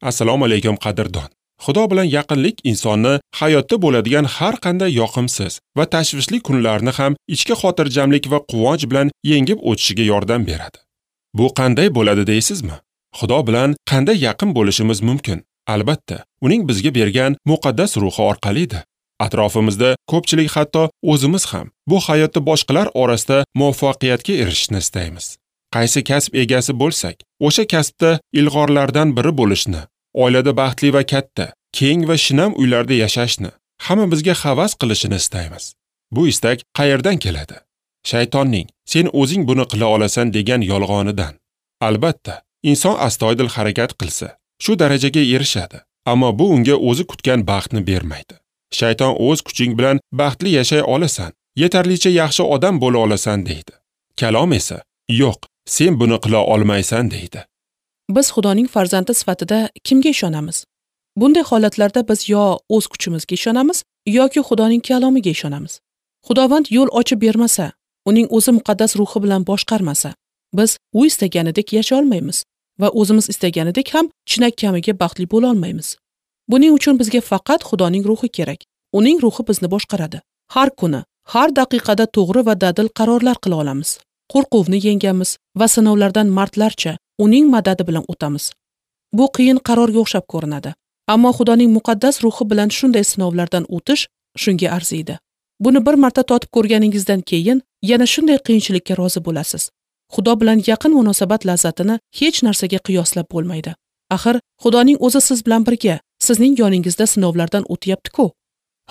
Assalomu alaykum qadrdon. Xudo bilan yaqinlik insonni hayotda bo'ladigan har qanday yoqimsiz va tashvishli kunlarni ham ichki xotirjamlik va quvonch bilan yengib o'tishiga yordam beradi. Bu qanday bo'ladi deysizmi? Xudo bilan qanday yaqin bo'lishimiz mumkin? Albatta, uning bizga bergan muqaddas ruhi orqalidir. Atrofimizda ko'pchilik, hatto o'zimiz ham bu hayotda boshqalar orasida muvaffaqiyatga erishishni istaymiz. Qaysi kasb egasi bo'lsak, o'sha kasbda ilg'orlardan biri bo'lishni, oilada baxtli va katta, keng va shinam uylarda yashashni, hamma bizga havas qilishini istaymiz. Bu istak qayerdan keladi? Shaytonning "Sen o'zing buni qila olasan" degan yolg'onidan. Albatta, inson astoydil harakat qilsa, shu darajaga erishadi, ammo bu unga o'zi kutgan baxtni bermaydi. Shayton o'z kuching bilan baxtli yashay olasan, yetarlicha yaxshi odam bo'la olasan deydi. Kalom esa, "Yo'q, sen buni qila olmaysan" deydi. Biz Xudoning farzandi sifatida kimga ishonamiz? Bunday holatlarda biz yo o'z kuchimizga ishonamiz, yoki Xudoning kalomiga ishonamiz. Xudovand yo'l ochib bermasa, uning o'zi muqaddas ruhi bilan boshqarmasa, biz u istaganidek yashay olmaymiz va o'zimiz istaganidek ham chinakamiga baxtli bo'la olmaymiz. Buning uchun bizga faqat Xudoning ruhi kerak. Uning ruhi bizni boshqaradi. Har kuni, har daqiqada to'g'ri va dadil qarorlar qila olamiz. Qo'rquvni yengamiz va sinovlardan mardlarcha uning madadi bilan o'tamiz. Bu qiyin qarorga o'xshab ko'rinadi. Ammo Xudoning muqaddas ruhi bilan shunday sinovlardan o'tish shunga arziydi. Buni bir marta totib ko'rganingizdan keyin yana shunday qiyinchilikka rozi bo'lasiz. Xudo bilan yaqin munosabat lazzatini hech narsaga qiyoslab bo'lmaydi. Axir Xudoning o'zi siz bilan birga, sizning yoningizda sinovlardan o'tyapti-ku.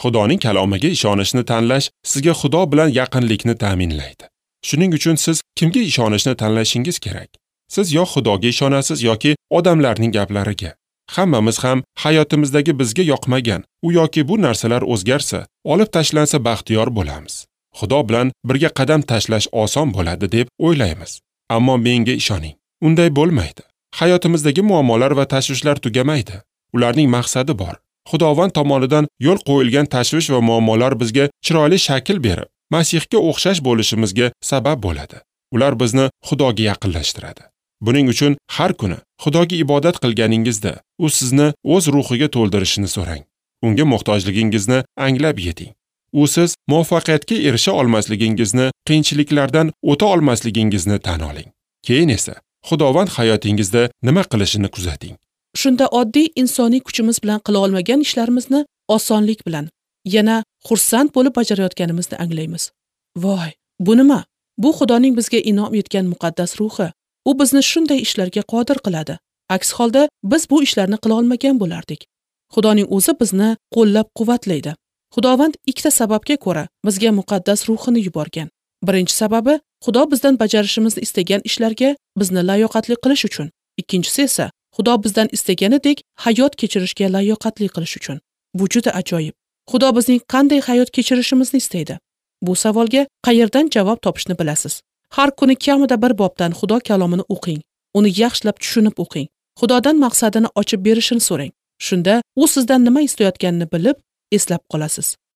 Xudoning kalomiga ishonishni tanlash sizga Xudo bilan yaqinlikni ta'minlaydi. Shuning uchun siz kimga ishonishni tanlashingiz kerak? Siz yo Xudoga ishonasiz yoki odamlarning gaplariga. Hammamiz ham hayotimizdagi bizga yoqmagan u yoki bu narsalar o'zgarsa, olib tashlansa baxtiyor bo'lamiz. Xudo bilan birga qadam tashlash oson bo'ladi deb o'ylaymiz. Ammo menga ishoning, unday bo'lmaydi. Hayotimizdagi muammolar va tashvishlar tugamaydi. Ularning maqsadi bor. Xudovand tomonidan yo'l qo'yilgan tashvish va muammolar bizga chiroyli shakl berib, Masihga o'xshash bo'lishimizga sabab bo'ladi. Ular bizni Xudoga yaqinlashtiradi. Buning uchun har kuni Xudoga ibodat qilganingizda u sizni o'z ruhiga to'ldirishini so'rang. Unga muhtojligingizni anglab yeting. U siz muvaffaqiyatga erisha olmasligingizni, qiyinchiliklardan o'ta olmasligingizni tan oling. Keyin esa Xudovand hayotingizda nima qilishini kuzating. Shunda oddiy insoniy kuchimiz bilan qila olmagan ishlarimizni osonlik bilan, yana xursand bo'lib bajarayotganimizni anglaymiz. Voy, bu nima? Bu Xudoning bizga in'om etgan muqaddas ruhi. U bizni shunday ishlarga qodir qiladi. Aks holda biz bu ishlarni qila olmagan bo'lardik. Xudoning o'zi bizni qo'llab-quvvatlaydi. Xudovand ikkita sababga ko'ra bizga muqaddas ruhini yuborgan. Birinchi sababi, Xudo bizdan bajarishimizni istagan ishlarga bizni layoqatli qilish uchun. Ikkinchisi esa, Xudo bizdan istaganidek hayot kechirishga layoqatli qilish uchun. Bu juda ajoyib. Xudo bizning qanday hayot kechirishimizni istaydi? Bu savolga qayerdan javob topishni bilasiz. Har kuni kamida bir bobdan Xudo kalomini o'qing. Uni yaxshilab tushunib o'qing. Xudodan maqsadini ochib berishini so'rang. Shunda u sizdan nima istayotganini bilib, eslab qolasiz.